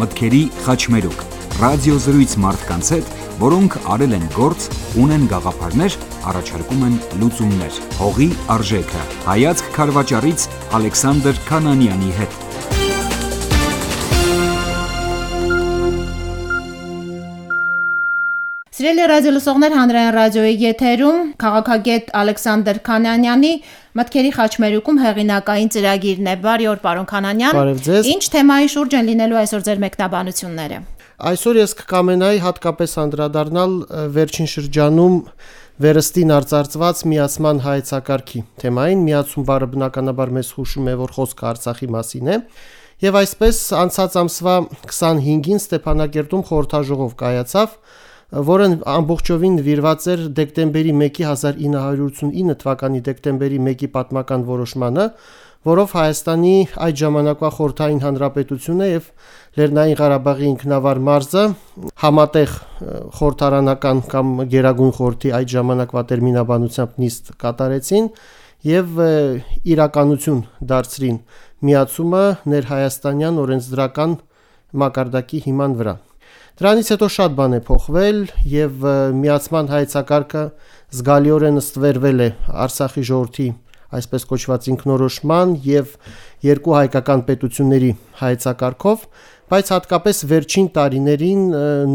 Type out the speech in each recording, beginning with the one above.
մտքերի խաչմերուկ, ռադիոզրույց մարդկանց հետ, որոնք արել են գործ, ունեն գաղափարներ, առաջարկում են լուծումներ։ Հողի արժեքը։ Հայացք քարվաճառից Ալեքսանդր Քանանյանի հետ։ Սիրելի ռադիոլսողներ, հանրային ռադիոյի եթերում քաղաքագետ Ալեքսանդր Քանանյանի մտքերի խաչմերուկում հեղինակային ծրագիրն է։ Բարի օր, պարոն Քանանյան։ Բարև ձեզ։ Ինչ թեմայի շուրջ են լինելու այսօր ձեր մեկնաբանությունները։ Այսօր ես կկամենայի հատկապես անդրադառնալ վերջին շրջանում վերստին արծարծված միացման հայեցակարգի թեմային։ Միացում բառը բնականաբար մեզ հուշում է, որ խոսքը Արցախի մասին է, եւ այսպես անցած ամսվա 25-ին Ստեփանակերտում խորհրդաժողով կայացավ, որը ամբողջովին նվիրված էր դեկտեմբերի 1-ի 1989 թվականի դեկտեմբերի 1-ի պատմական որոշմանը, որով Հայաստանի այդ ժամանակվա խորհրդային հանրապետությունը եւ Լեռնային Ղարաբաղի ինքնավար մարզը համատեղ խորհրդարանական կամ Գերագույն խորհրդի այդ ժամանակվա տերմինաբանությամբ նիստ կատարեցին եւ իրականություն դարձրին միացումը ներհայաստանյան օրենսդրական մակարդակի հիման վրա։ Դրանից հետո շատ բան է փոխվել եւ միացման հայեցակարգը զգալիորեն ստվերվել է Արցախի ժողովրդի այսպես կոչված ինքնորոշման եւ երկու հայկական պետությունների հայեցակարգով, բայց հատկապես վերջին տարիներին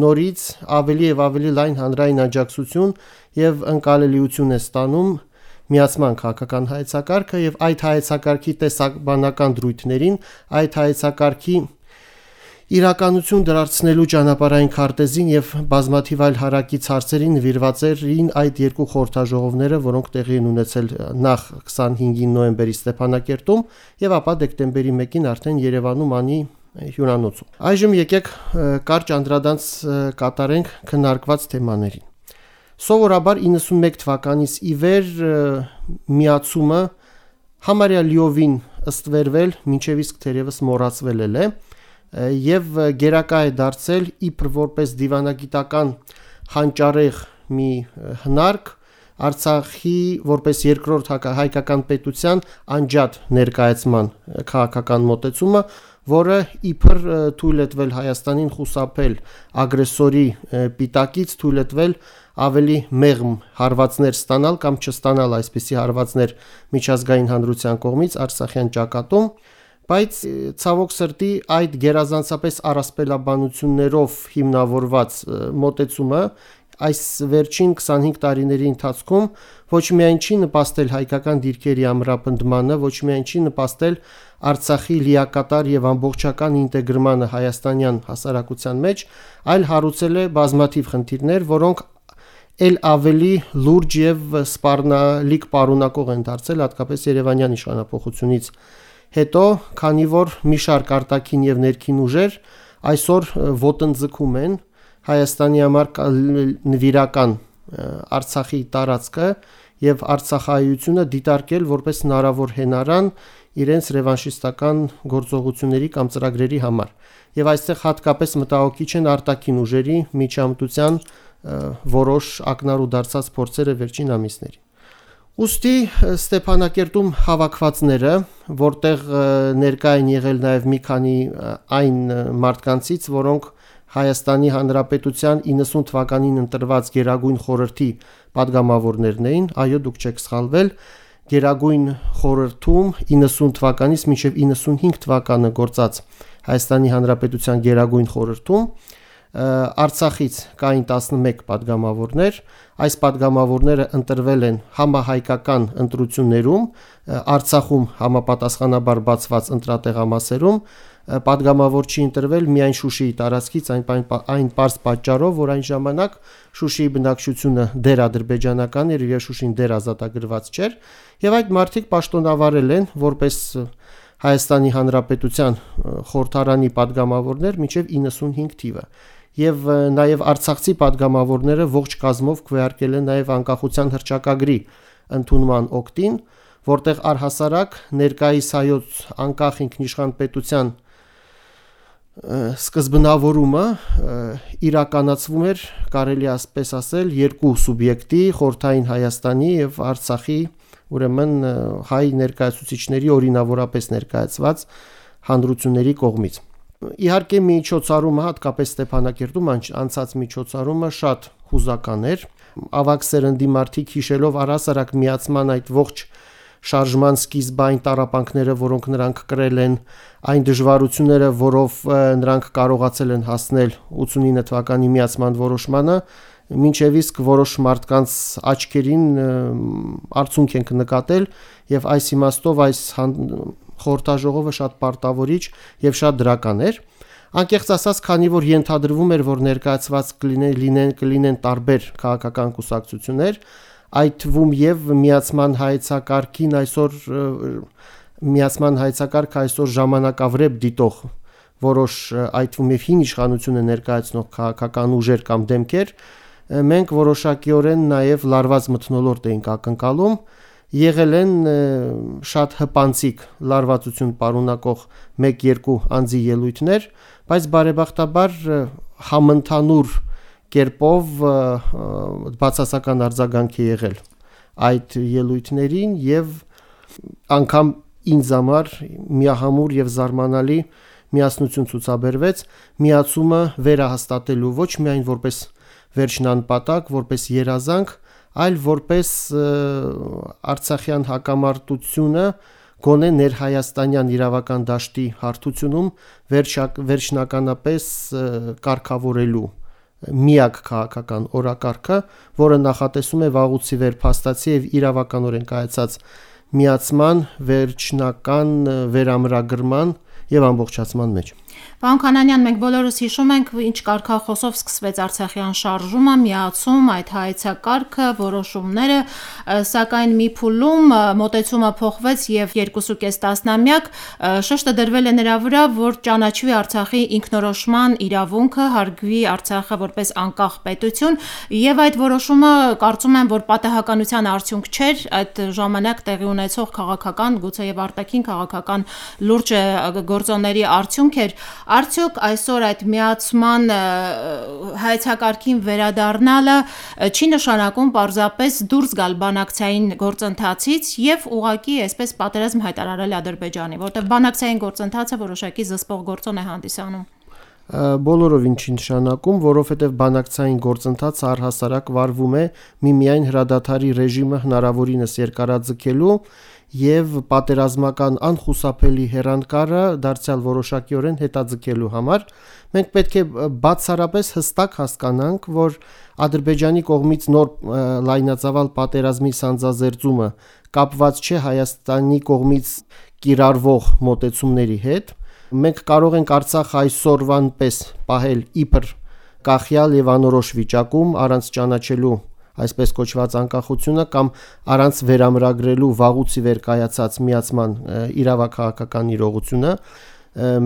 նորից ավելի եւ ավելի լայն հանրային աջակցություն եւ ընկալելիություն է ստանում միացման քաղաքական հայեցակարգը եւ այդ հայեցակարգի տեսաբանական դրույթներին, այդ հայեցակարգի իրականություն դարձնելու ճանապարհային քարտեզին եւ բազմաթիվ այլ հարակից հարցերին նվիրված էին այդ երկու խորհրդաժողովները, որոնք տեղի են ունեցել նախ 25 նոյեմբերի Ստեփանակերտում եւ ապա դեկտեմբերի 1-ին արդեն Երևանում անի հյուրանոցում։ Այժմ եկեք կարճ անդրադարձ կատարենք քննարկված թեմաներին։ Սովորաբար 91 թվականից ի վեր միացումը համարյա լիովին ըստվերվել, մինչև իսկ թերևս մոռացվել է եւ գերակա է դարձել իբր որպես դիվանագիտական հանճարեղ մի հնարք Արցախի որպես երկրորդ հայկական պետության անջատ ներկայացման քաղաքական մոտեցումը, որը իբր թույլ է տվել Հայաստանին խուսափել ագրեսորի պիտակից, թույլ է տվել ավելի մեղմ հարվածներ ստանալ կամ չստանալ այսպիսի հարվածներ միջազգային հանրության կողմից Արցախյան ճակատում, բայց ցավոք սրտի այդ գերազանցապես առասպելաբանություններով հիմնավորված մոտեցումը այս վերջին 25 տարիների ընթացքում ոչ միայն չի նպաստել հայկական դիրքերի ամրապնդմանը, ոչ միայն չի նպաստել Արցախի լիակատար եւ ամբողջական ինտեգրմանը հայաստանյան հասարակության մեջ, այլ հարուցել է բազմաթիվ խնդիրներ, որոնք ել ավելի լուրջ եւ սպառնալիք պարունակող են դարձել հատկապես Երևանյան իշխանապողությունից հետո, քանի որ մի շարք արտաքին եւ ներքին ուժեր այսօր ոտնձգում են Հայաստանի համար նվիրական Արցախի տարածքը եւ Արցախայությունը դիտարկել որպես հնարավոր հենարան իրենց ռևանշիստական գործողությունների կամ ծրագրերի համար։ Եվ այստեղ հատկապես մտահոգիչ են արտաքին ուժերի միջամտության որոշ ակնառու դարձած փորձերը վերջին ամիսներին։ Ուստի Ստեփանակերտում հավաքվածները, որտեղ ներկա են եղել նաև մի քանի այն մարդկանցից, որոնք Հայաստանի Հանրապետության 90 թվականին ընտրված Գերագույն խորհրդի падգամավորներն էին, այո, դուք չեք սխալվել, Գերագույն խորհրդում 90 թվականից մինչև 95 թվականը գործած Հայաստանի Հանրապետության Գերագույն խորհրդում Արցախից կային 11 падգամավորներ, այս падգամավորները ընտրվել են համահայկական ընտրություններում, Արցախում համապատասխանաբար բացված ընտրատեղամասերում, падգամավոր չի ընտրվել միայն Շուշիի տարածքից, այն պարզ պատճառով, որ այն ժամանակ Շուշիի բնակչությունը դեր-ադրբեջանական էր եւ Շուշին դեր-ազատագրված չէր, եւ այդ մարդիկ պաշտոնավարել են որպես Հայաստանի Հանրապետության խորհրդարանի падգամավորներ մինչև 95 թիվը։ Եվ նաև արցախցի падգամավորները ողջ կազմով քվեարկել են նաև անկախության հռչակագրի ընդունման օկտին, որտեղ առհասարակ ներկայիս հայոց անկախ ինքնիշխան պետության սկզբնավորումը իրականացվում էր, կարելի ասպես ասել, երկու սուբյեկտի, խորհրդային Հայաստանի եւ Արցախի, ուրեմն հայ ներկայացուցիչների օրինավորապես ներկայացված հանրությունների կողմից։ Իհարկե միջոցառումը, հատկապես Ստեփանակերտում անցած միջոցառումը շատ հուզական էր։ Ավագ սերնդի մարդիկ հիշելով առհասարակ միացման այդ ողջ շարժման սկիզբային տառապանքները, որոնք նրանք կրել են, այն դժվարությունները, որով նրանք կարողացել են հասնել 89 թվականի միացման որոշմանը, մինչև իսկ որոշ մարդկանց աչքերին արցունք ենք նկատել, եւ այս իմաստով այս խորհրդաժողովը շատ պարտավորիչ եւ շատ դրական էր։ Անկեղծ ասած, քանի որ ենթադրվում էր, որ ներկայացված կլինեն տարբեր քաղաքական կուսակցություններ, այդ թվում եւ միացման հայեցակարգ այսօր ժամանակավրեպ դիտող որոշ այդ թվում եւ հին իշխանությունը ներկայացնող քաղաքական ուժեր կամ դեմքեր, մենք որոշակիորեն նաեւ լարված մթնոլորտ էինք ակնկալում, եղել են շատ հպանցիկ լարվածություն պարունակող 1-2 անձի ելույթներ, բայց բարեբախտաբար համընդհանուր կերպով բացասական արձագանք է եղել այդ ելույթներին եւ անգամ ինձ համար միահամուր եւ զարմանալի միասնություն ցուցաբերվեց միացումը վերահաստատելու ոչ միայն որպես վերջնանպատակ, որպես երազանք, այլ որպես Արցախյան հակամարտությունը գոնե ներհայաստանյան իրավական դաշտի հարթությունում վերջնականապես կարգավորելու միակ քաղաքական օրակարգը, որը նախատեսում է վաղուց ի վեր փաստացի եւ իրավականորեն կայացած միացման վերջնական վերամրագրման եւ ամբողջացման մեջ։ Պարոն Քանանյան, մենք բոլորս հիշում ենք, ինչ կարգախոսով սկսվեց Արցախյան շարժումը, միացում, այդ հայեցակարգը, որոշումները, սակայն մի փուլում մոտեցումը փոխվեց եւ 2.5 տասնամյակ շեշտը դրվել է նրա վրա, որ ճանաչվի Արցախի ինքնորոշման իրավունքը, հարգվի Արցախը որպես անկախ պետություն, եւ այդ որոշումը կարծում եմ, որ պատահականության արդյունք չէր, այդ ժամանակ տեղի ունեցող քաղաքական, գուցե եւ արտաքին քաղաքական լուրջ գործոնների արդյունք էր։ Արդյոք այսօր այդ միացման հայեցակարգին վերադառնալը չի նշանակում պարզապես դուրս գալ բանակցային գործընթացից եւ ուղղակի այսպես պատերազմ հայտարարել Ադրբեջանի, որտեղ բանակցային գործընթացը որոշակի զսպող գործոն է հանդիսանում։ Բոլորովին չի նշանակում, որովհետև բանակցային գործընթացը առհասարակ վարվում է միմիայն հրադադարի ռեժիմը հնարավորինս երկարաձգելու եւ պատերազմական անխուսափելի հեռանկարը դարձյալ որոշակիորեն հետաձգելու համար մենք պետք է բացառապես հստակ հասկանանք, որ Ադրբեջանի կողմից նոր լայնածավալ պատերազմի սանձազերծումը կապված չէ Հայաստանի կողմից կիրառվող մոտեցումների հետ։ Մենք կարող ենք Արցախը այսօրվան պես պահել իբր կախյալ եւ անորոշ վիճակում առանց ճանաչելու այսպես կոչված անկախությունը կամ առանց վերամրագրելու վաղուց ի վեր կայացած միացման իրավաքաղաքական իրողությունը,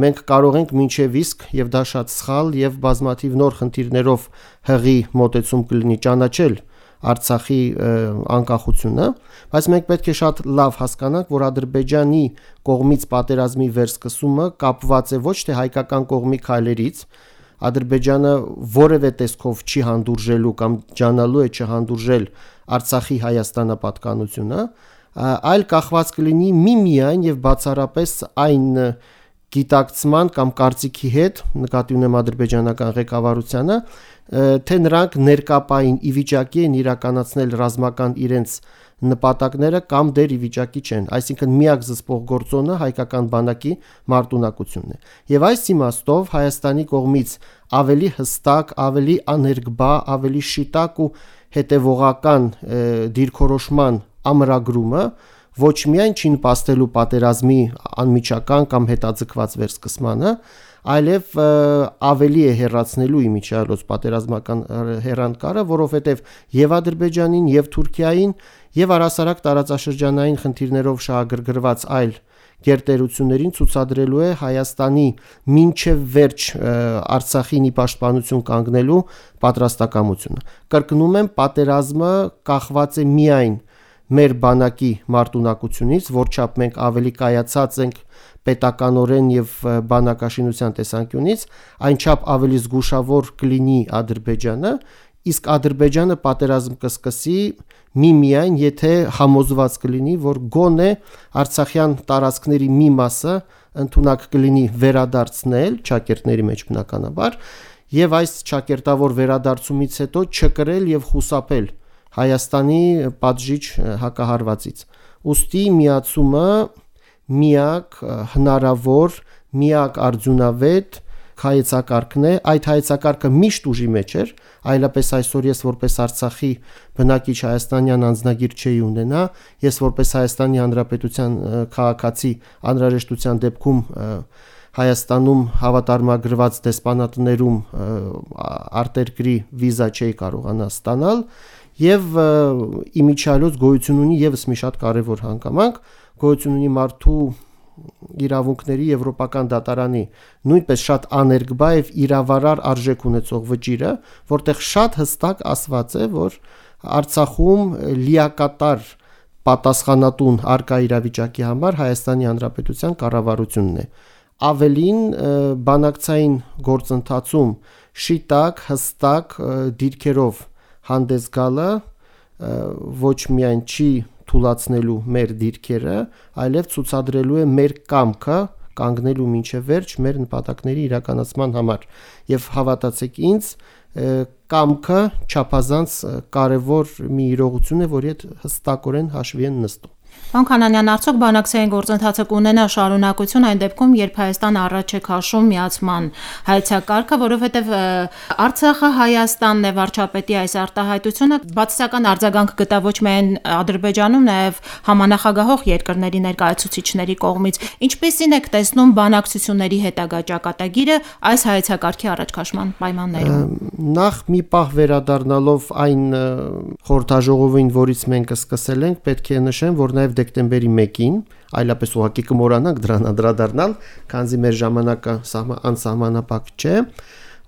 մենք կարող ենք մինչև իսկ եւ դա շատ սխալ եւ բազմաթիվ նոր խնդիրներով հղի մոտեցում կլինի ճանաչել Արցախի անկախությունը, բայց մենք պետք է շատ լավ հասկանանք, որ Ադրբեջանի կողմից պատերազմի վերսկսումը կապված է ոչ թե հայկական կողմի քայլերից, Ադրբեջանը որևէ տեսքով չի հանդուրժելու կամ ջանալու է չհանդուրժել Արցախի Հայաստանապատկանությունը, այլ կախված կլինի միմիայն եւ բացառապես այն գիտակցման կամ կարծիքի հետ, նկատի ունեմ ադրբեջանական ղեկավարությանը, թե նրանք ներկապային ի վիճակի են իրականացնել ռազմական իրենց նպատակները կամ դեռ ի վիճակի չեն, այսինքն միակ զսպող գործոնը հայկական բանակի մարտունակությունն է։ Եվ այս իմաստով Հայաստանի կողմից ավելի հստակ, ավելի աներկբա, ավելի շիտակ ու հետևողական դիրքորոշման ամրագրումը ոչ միայն չի նպաստելու պատերազմի անմիջական կամ հետաձգված վերսկսմանը, այլև ավելի է հեռացնելու իմիջիայլոց պատերազմական հեռանկարը, որովհետև եւ Ադրբեջանին եւ Թուրքիային եւ առհասարակ տարածաշրջանային խնդիրներով շահագրգռված այլ գերտերություններին ցուցադրելու է Հայաստանի մինչև վերջ Արցախին ի պաշտպանություն կանգնելու պատրաստակամությունը։ Կրկնում եմ, պատերազմը կախված է միայն մեր բանակի մարտունակությունից, որչափ մենք ավելի կայացած ենք պետականորեն եւ բանակաշինության տեսանկյունից, այնչափ ավելի զգուշավոր կլինի Ադրբեջանը, իսկ Ադրբեջանը պատերազմ կսկսի միմիայն եթե համոզված կլինի, որ գոնե Արցախյան տարածքների մի մասը ընդունակ կլինի վերադարձնել ճակերտների մեջ բնականաբար եւ այս ճակերտավոր վերադարձումից հետո չկրել եւ խուսափել Հայաստանի պատժիչ հակահարվածից։ Ուստի միացումը միակ հնարավոր, միակ արդյունավետ հայեցակարգն է, այդ հայեցակարգը միշտ ուժի մեջ էր, այլապես այսօր ես որպես Արցախի բնակիչ հայաստանյան անձնագիր չէի ունենա, ես որպես Հայաստանի Հանրապետության քաղաքացի անհրաժեշտության դեպքում Հայաստանում հավատարմագրված դեսպանատներում արտերկրի վիզա չէի կարողանա ստանալ եւ իմիջիալոց գոյություն ունի եւս մի շատ կարեւոր հանգամանք, գոյություն ունի մարդու իրավունքների եվրոպական դատարանի նույնպես շատ աներկբա եւ իրավարար արժեք ունեցող վճիրը, որտեղ շատ հստակ ասված է, որ Արցախում լիակատար պատասխանատուն արկա իրավիճակի համար Հայաստանի Հանրապետության կառավարությունն է։ Ավելին բանակցային գործընթացում շիտակ, հստակ դիրքերով հանդես գալը ոչ միայն չի թուլացնելու մեր դիրքերը, այլև ցուցադրելու է մեր կամքը կանգնելու մինչև վերջ մեր նպատակների իրականացման համար։ Եվ հավատացեք ինձ, կամքը չափազանց կարևոր մի իրողություն է, որի հետ հստակորեն հաշվի են նստում։ Պարոն Քանանյան, արդյոք բանակցային գործընթացը կունենա շարունակություն այն դեպքում, երբ Հայաստանը առաջ է քաշում միացման հայեցակարգը, որովհետև Արցախը Հայաստանն է, վարչապետի այս արտահայտությունը բացասական արձագանք գտավ ոչ միայն Ադրբեջանում, նաև համանախագահող երկրների ներկայացուցիչների կողմից։ Ինչպիսին եք տեսնում բանակցությունների հետագա ճակատագիրը այս հայեցակարգի առաջ քաշման պայմաններում։ Նախ մի պահ վերադառնալով այն խորհրդաժողովին, որից մենք սկսել ենք, պետք է նշեմ, որ նաև դեկտեմբերի 1-ին, այլապես ուղղակի կմոռանանք դրան անդրադառնալ, քանզի մեր ժամանակը անսահմանափակ չէ։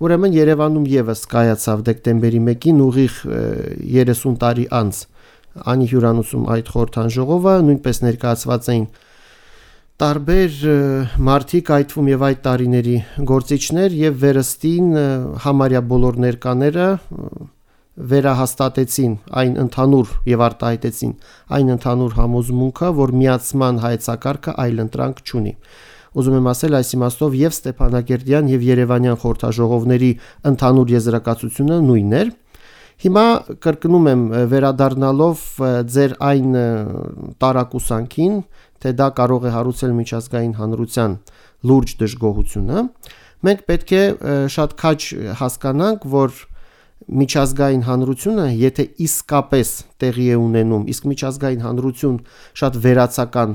Ուրեմն Երևանում եւս կայացավ դեկտեմբերի 1-ին ուղիղ 30 տարի անց անի հյուրանոցում այդ խորհրդաժողովը, նույնպես ներկայացված էին տարբեր մարդիկ, այդ թվում եւ այդ տարիների գործիչներ եւ վերստին համարյա բոլոր ներկաները վերահաստատեցին այն ընդհանուր եւ արտահայտեցին այն ընդհանուր համոզմունքը, որ միացման հայեցակարգը այլընտրանք չունի։ Ուզում եմ ասել, այս իմաստով եւ Ստեփանագերդյան եւ Երևանյան խորհրդաժողովների ընդհանուր եզրակացությունը նույնն էր։ Հիմա կրկնում եմ, վերադառնալով ձեր այն տարակուսանքին, թե դա կարող է հարուցել միջազգային հանրության լուրջ դժգոհությունը, մենք պետք է շատ քաջ հասկանանք, որ միջազգային հանրությունը, եթե իսկապես տեղի է ունենում, իսկ միջազգային հանրություն շատ վերացական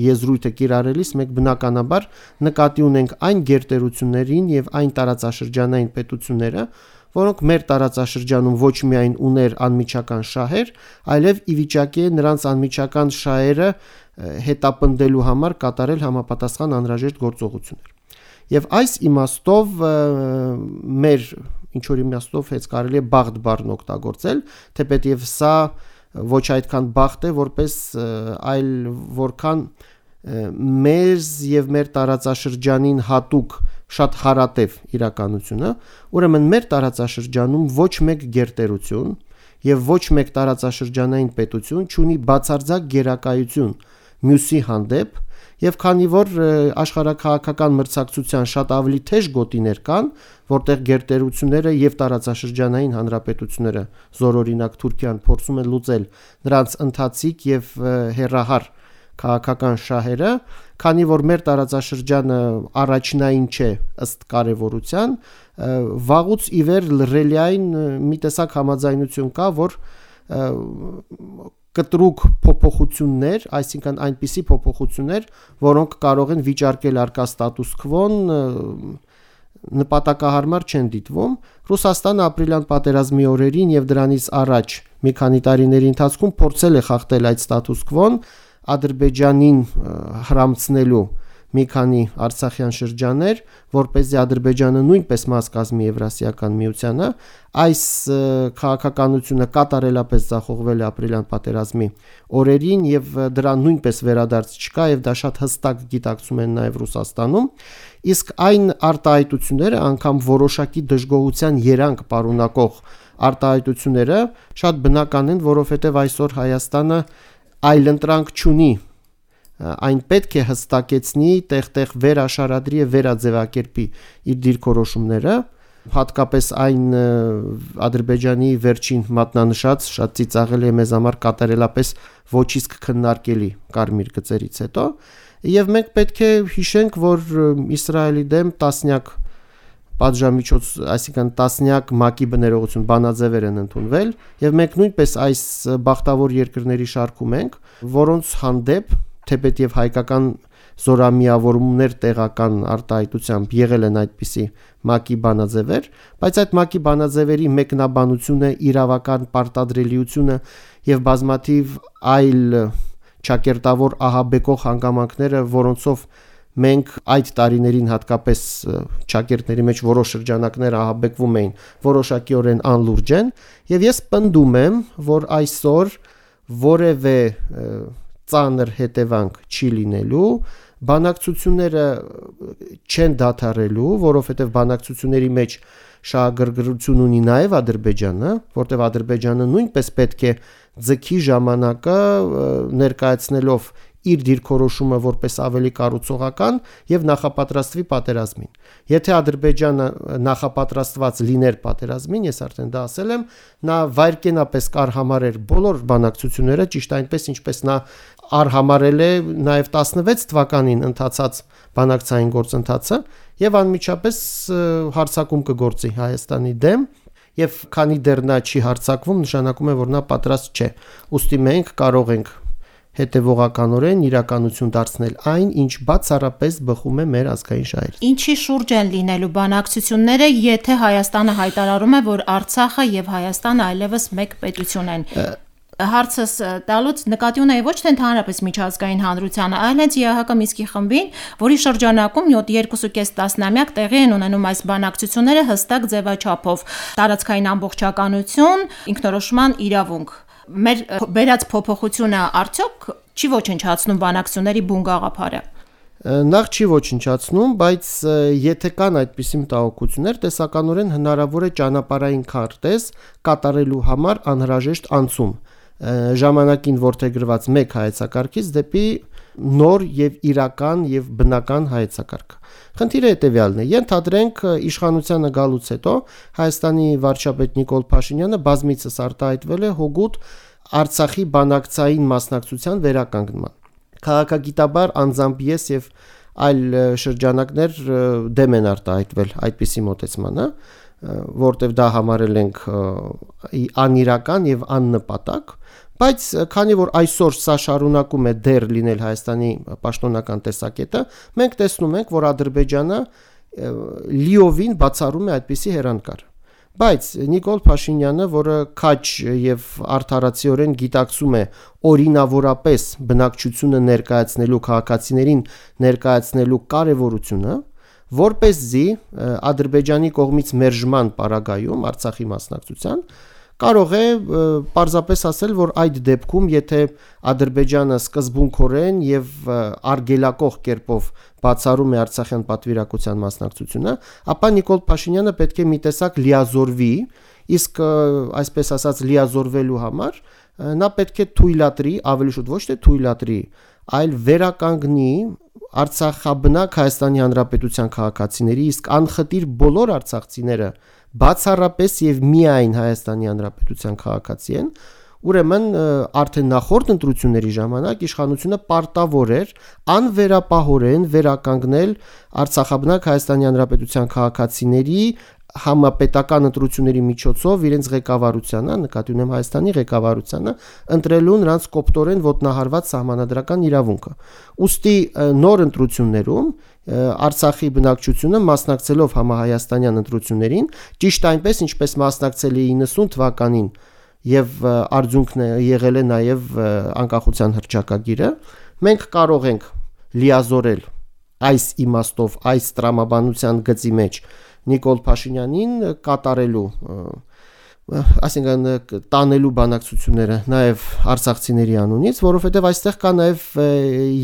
եզրույթ է կիրառելիս, մենք բնականաբար նկատի ունենք այն գերտերություններին եւ այն տարածաշրջանային պետությունները, որոնք մեր տարածաշրջանում ոչ միայն ուներ անմիջական շահեր, այլև ի վիճակի է նրանց անմիջական շահերը հետապնդելու համար կատարել համապատասխան անհրաժեշտ գործողություններ։ Եվ այս իմաստով մեր ինչ-որ իմաստով հենց կարելի է բախտ բառն օգտագործել, թեպետև սա ոչ այդքան բախտ է, որպես այլ որքան մեզ եւ մեր տարածաշրջանին հատուկ շատ հարատև իրականությունը, ուրեմն մեր տարածաշրջանում ոչ մեկ գերտերություն եւ ոչ մեկ տարածաշրջանային պետություն չունի բացարձակ գերակայություն մյուսի հանդեպ, եւ քանի որ աշխարհաքաղաքական մրցակցության շատ ավելի թեժ գոտիներ կան, որտեղ գերտերությունները եւ տարածաշրջանային հանրապետությունները, զորօրինակ Թուրքիան, փորձում են լուծել նրանց ընթացիկ եւ հերահար քաղաքական շահերը, քանի որ մեր տարածաշրջանը առաջնային չէ ըստ կարևորության, վաղուց ի վեր լրելիային մի տեսակ համաձայնություն կա, որ կտրուկ փոփոխություններ, այսինքն այնպիսի փոփոխություններ, որոնք կարող են վիճարկել արկա ստատուս քվոն, նպատակահարմար չեն դիտվում։ Ռուսաստանը ապրիլյան պատերազմի օրերին եւ դրանից առաջ մի քանի տարիների ընթացքում փորձել է խախտել այդ ստատուս քվոն, Ադրբեջանին հրամցնելու մի քանի արցախյան շրջաններ, որպեսզի Ադրբեջանը նույնպես մաս կազմի Եվրասիական միությանը, այս քաղաքականությունը կատարելապես ձախողվել է ապրիլյան պատերազմի օրերին եւ դրան նույնպես վերադարձ չկա եւ դա շատ հստակ գիտակցում են նաեւ Ռուսաստանում, իսկ այն արտահայտությունները, անգամ որոշակի դժգոհության երանգ պարունակող արտահայտությունները շատ բնական են, որովհետեւ այսօր Հայաստանը այլընտրանք չունի այն պետք է հստակեցնի, տեղ-տեղ վերաշարադրի եւ վերաձևակերպի իր դիրքորոշումները, հատկապես այն Ադրբեջանի վերջին մատնանշած շատ ծիծաղելի է մեզ համար կատարելապես ոչ իսկ քննարկելի կարմիր գծերից հետո, եւ մենք պետք է հիշենք, որ Իսրայելի դեմ տասնյակ պատժամիջոց, այսինքն տասնյակ ՄԱԿ-ի բներողություն բանաձևեր են ընդունվել եւ մենք նույնպես այս բախտավոր երկրների շարքում ենք, որոնց հանդեպ թեպետ եւ հայկական զորամիավորումներ տեղական արտահայտությամբ եղել են այդպիսի ՄԱԿ-ի բանաձևեր, բայց այդ ՄԱԿ-ի բանաձևերի մեկնաբանությունը, իրավական պարտադրելիությունը եւ բազմաթիվ այլ ճակերտավոր ահաբեկող հանգամանքները, որոնցով մենք այդ տարիներին հատկապես ճակերտների մեջ որոշ շրջանակներ ահաբեկվում էին, որոշակիորեն անլուրջ են, եւ ես պնդում եմ, որ այսօր որևէ ծանր հետևանք չի լինելու, բանակցությունները չեն դադարելու, որովհետև բանակցությունների մեջ շահագրգռություն ունի նաև Ադրբեջանը, որտեղ Ադրբեջանը նույնպես պետք է ձգի ժամանակը ներկայացնելով իր դիրքորոշումը որպես ավելի կառուցողական եւ նախապատրաստվի պատերազմին։ Եթե Ադրբեջանը նախապատրաստված լիներ պատերազմին, ես արդեն դա ասել եմ, նա վայրկենապես կարհամարեր բոլոր բանակցությունները, ճիշտ այնպես ինչպես նա արհամարել է նաև 16 թվականին ընթացած բանակցային գործընթացը եւ անմիջապես հարձակում կգործի Հայաստանի դեմ եւ քանի դեռ նա չի հարձակվում, նշանակում է, որ նա պատրաստ չէ։ Ուստի մենք կարող ենք հետևողականորեն իրականություն դարձնել այն, ինչ բացառապես բխում է մեր ազգային շահերից։ Ինչի շուրջ են լինելու բանակցությունները, եթե Հայաստանը հայտարարում է, որ Արցախը եւ Հայաստանը այլևս մեկ պետություն են։ Հարցս տալուց նկատի ունեի ոչ թե ընդհանրապես միջազգային հանրությանը, այլ հենց ԵԱՀԿ Մինսկի խմբին, որի շրջանակում 2.5 տասնամյակ տեղի են ունենում այս բանակցությունները հստակ ձևաչափով՝ տարածքային ամբողջականություն, ինքնորոշման իրավունք։ Մեր բերած փոփոխությունը արդյոք չի ոչնչացնում բանակցությունների բուն գաղափարը։ Նախ չի ոչնչացնում, բայց եթե կան այդպիսի մտահոգություններ, տեսականորեն հնարավոր է ճանապարհային քարտեզ կատարելու համար անհրաժեշտ անցում ժամանակին որդեգրված մեկ հայեցակարգից դեպի նոր եւ իրական եւ բնական հայեցակարգ։ Խնդիրը հետեւյալն է. ենթադրենք իշխանությանը գալուց հետո Հայաստանի վարչապետ Նիկոլ Փաշինյանը բազմիցս արտահայտվել է հօգուտ Արցախի բանակցային մասնակցության վերականգնման։ Քաղաքագիտաբար անձամբ ես եւ այլ շրջանակներ դեմ են արտահայտվել այդպիսի մոտեցմանը, որտեղ դա համարել ենք անիրական եւ աննպատակ, բայց քանի որ այսօր սա շարունակում է դեռ լինել Հայաստանի պաշտոնական տեսակետը, մենք տեսնում ենք, որ Ադրբեջանը լիովին բացառում է այդպիսի հեռանկար։ Բայց Նիկոլ Փաշինյանը, որը քաջ եւ արդարացիորեն գիտակցում է օրինավորապես բնակչությունը ներկայացնելու քաղաքացիներին ներկայացնելու կարեւորությունը, որպեսզի Ադրբեջանի կողմից մերժման պարագայում Արցախի մասնակցության կարող է պարզապես ասել, որ այդ դեպքում, եթե Ադրբեջանը սկզբունքորեն եւ արգելակող կերպով բացառում է Արցախյան պատվիրակության մասնակցությունը, ապա Նիկոլ Փաշինյանը պետք է մի տեսակ լիազորվի, իսկ այսպես ասած լիազորվելու համար նա պետք է թույլատրի, ավելի շուտ ոչ թե թույլատրի, այլ վերականգնի Արցախաբնակ Հայաստանի Հանրապետության քաղաքացիների, իսկ անխտիր բոլոր արցախցիները բացառապես եւ միայն Հայաստանի Հանրապետության քաղաքացի են, ուրեմն արդեն նախորդ ընտրությունների ժամանակ իշխանությունը պարտավոր էր անվերապահորեն վերականգնել Արցախաբնակ Հայաստանի Հանրապետության քաղաքացիների համապետական ընտրությունների միջոցով իրենց ղեկավարությանը, նկատի ունեմ Հայաստանի ղեկավարությանը, ընտրելու նրանց կոպտորեն ոտնահարված սահմանադրական իրավունքը։ Ուստի նոր ընտրություններում Արցախի բնակչությունը մասնակցելով համահայաստանյան ընտրություններին, ճիշտ այնպես ինչպես մասնակցել է 90 թվականին եւ արդյունքն եղել է նաեւ անկախության հռչակագիրը, մենք կարող ենք լիազորել այս իմաստով այս տրամաբանության գծի մեջ Նիկոլ Փաշինյանին կատարելու, այսինքն տանելու բանակցությունները նաև արցախցիների անունից, որովհետև այստեղ կա նաև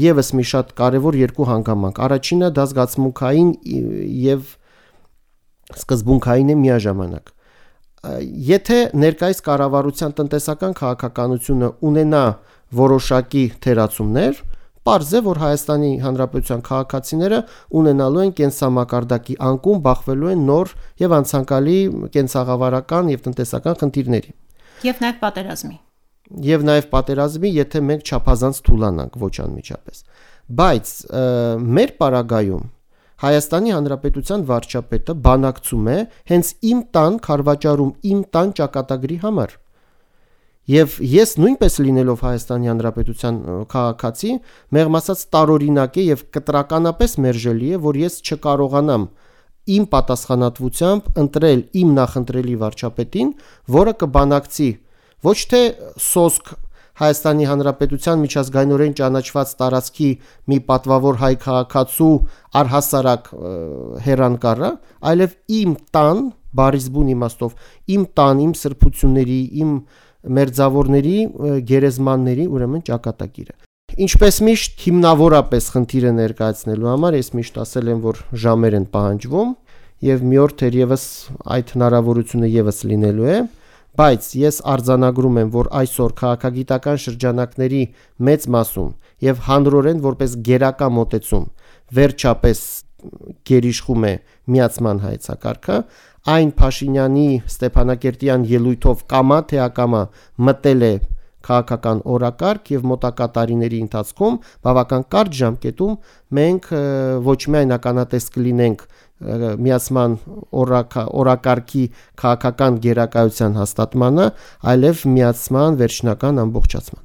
եւս մի շատ կարևոր երկու հանգամանք։ Առաջինը դա զգացմունքային եւ սկզբունքային է միաժամանակ։ Եթե ներկայիս կառավարության տնտեսական քաղաքականությունը ունենա որոշակի թերացումներ, պարզ է, որ Հայաստանի Հանրապետության քաղաքացիները ունենալու են կենսամակարդակի անկում, բախվելու են նոր եւ անցանկալի կենսաղավարական եւ տնտեսական խնդիրների։ Եվ նաեւ պատերազմի։ Եվ նաեւ պատերազմի, եթե մենք չափազանց թուլանանք ոչ անմիջապես։ Բայց մեր պարագայում Հայաստանի Հանրապետության վարչապետը բանակցում է հենց իմ տան քարվաճառում, իմ տան ճակատագրի համար։ Եվ ես նույնպես լինելով Հայաստանի Հանրապետության քաղաքացի, մեղմ ասած տարօրինակ է եւ կտրականապես մերժելի է, որ ես չկարողանամ իմ պատասխանատվությամբ ընտրել իմ նախընտրելի վարչապետին, որը կբանակցի ոչ թե սոսկ Հայաստանի Հանրապետության միջազգայինորեն ճանաչված տարածքի մի պատվավոր հայ քաղաքացու առհասարակ հեռանկարը, այլև իմ տան, բարիզբուն իմաստով, իմ տան, իմ սրբությունների, իմ մերձավորների, գերեզմանների, ուրեմն ճակատագիրը։ Ինչպես միշտ հիմնավորապես խնդիրը ներկայացնելու համար ես միշտ ասել եմ, որ ժամեր են պահանջվում եւ մի օր թերևս այդ հնարավորությունը եւս լինելու է, բայց ես արձանագրում եմ, որ այսօր քաղաքագիտական շրջանակների մեծ մասում եւ հանրորեն որպես գերակա մոտեցում վերջապես գերիշխում է միացման հայեցակարգը, այն Փաշինյանի Ստեփանակերտյան ելույթով կամա թե ակամա մտել է քաղաքական օրակարգ եւ մոտակա տարիների ընթացքում բավական կարճ ժամկետում մենք ոչ միայն ականատես կլինենք միացման օրակարգի քաղաքական գերակայության հաստատմանը, այլև միացման վերջնական ամբողջացման։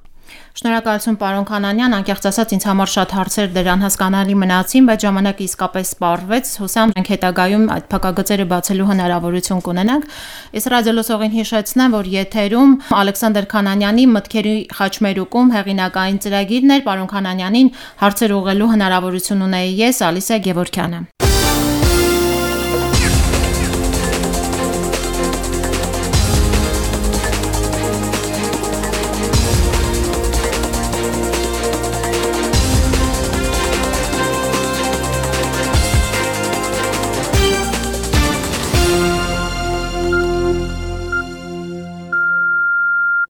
Շնորհակալություն պարոն Քանանյան, անկեղծ ասած ինձ համար շատ հարցեր դեր անհասկանալի մնացին, բայց ժամանակը իսկապես սպառվեց, հուսամ մենք հետագայում այդ փակագծերը բացելու հնարավորություն կունենանք։ Ես ռադիոլսողին հիշեցնեմ, որ եթերում Ալեքսանդր Քանանյանի մտքերի խաչմերուկում հեղինակային ծրագիրն էր, պարոն Քանանյանին հարցեր ուղղելու հնարավորություն ունեի ես, Ալիսա Գևորգյանը։